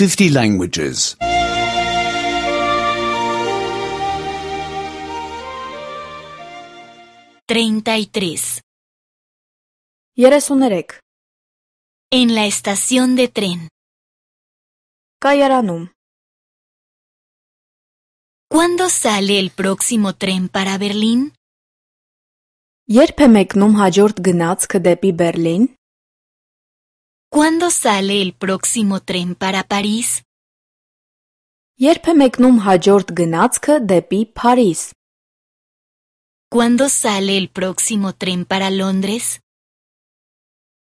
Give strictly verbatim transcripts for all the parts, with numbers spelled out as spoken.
fifty languages. treinta y tres. երեսուներեք En la estación de tren. Կայարանում ¿Cuándo sale el próximo tren para Berlín? Երբ է մեկնում հաջորդ գնացքը դեպի Բերլին? ¿Cuándo sale el próximo tren para París? Երբ է մեկնում հաջորդ գնացքը դեպի Փարիզ? ¿Cuándo sale el próximo tren para Londres?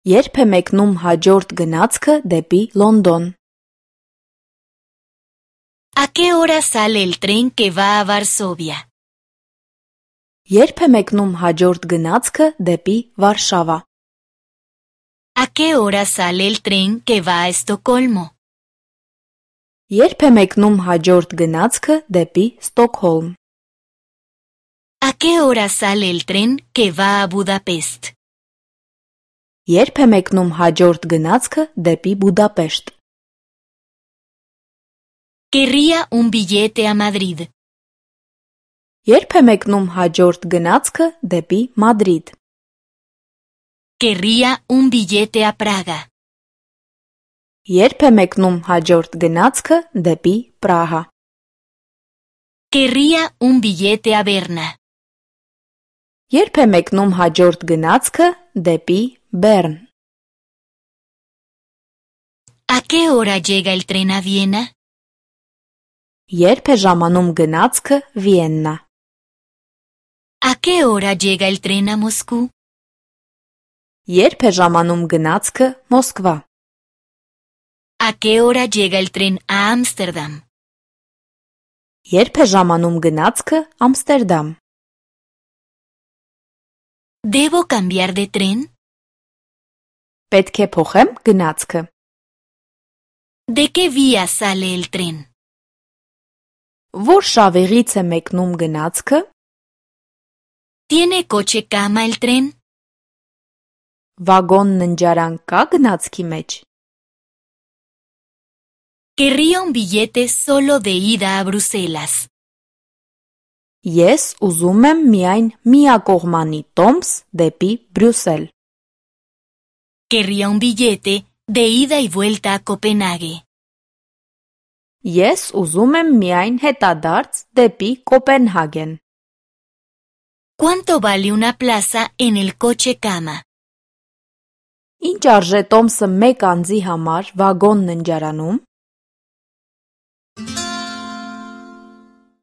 Երբ է մեկնում հաջորդ գնացքը դեպի Լոնդոն? ¿A qué hora sale el tren que va a Varsovia? Երբ է մեկնում հաջորդ գնացքը դեպի Վարշավա? ¿A qué hora sale el tren que va a Estocolmo? Երբ է մեկնում հաջորդ գնացքը դեպի Ստոկհոլմ? ¿A qué hora sale el tren que va a Budapest? Երբ է մեկնում հաջորդ գնացքը դեպի Բուդապեշտ? Querría un billete a Madrid. Երբ է մեկնում հաջորդ գնացքը դեպի Մադրիդ? Querría un billete a Praga. Երբ է մեկնում հաջորդ գնացքը դեպի Պրահա? Querría un billete a Berna. Երբ է մեկնում հաջորդ գնացքը դեպի Բեռն? ¿A qué hora llega el tren a Viena? Երբ է ժամանում գնացքը Վիեննա? ¿A qué hora llega el tren a Moscú? Երբ է ժամանում գնացքը Մոսկվա? ¿A qué hora llega el tren a Ámsterdam? Երբ է ժամանում գնացքը Ամստերդամ? ¿Debo cambiar de tren? Պետք է փոխեմ գնացքը? ¿De qué vía sale el tren? Որ շավիղից է մեկնում գնացքը? ¿Tiene coche cama el tren? Վագոն ննջարան կա գնացքի մեջ? Querría un billete solo de ida a Bruselas. Ես ուզում եմ միայն միակողմանի տոմս դեպի Բրյուսել. Querría un billete de ida y vuelta a Copenhague. Ես ուզում եմ միայն հետադարձ դեպի Կոպենհագեն. ¿Cuánto vale una plaza en el coche cama? Ինչ արժե տոմսը մեկ անձի համար վագոն ննջարանում?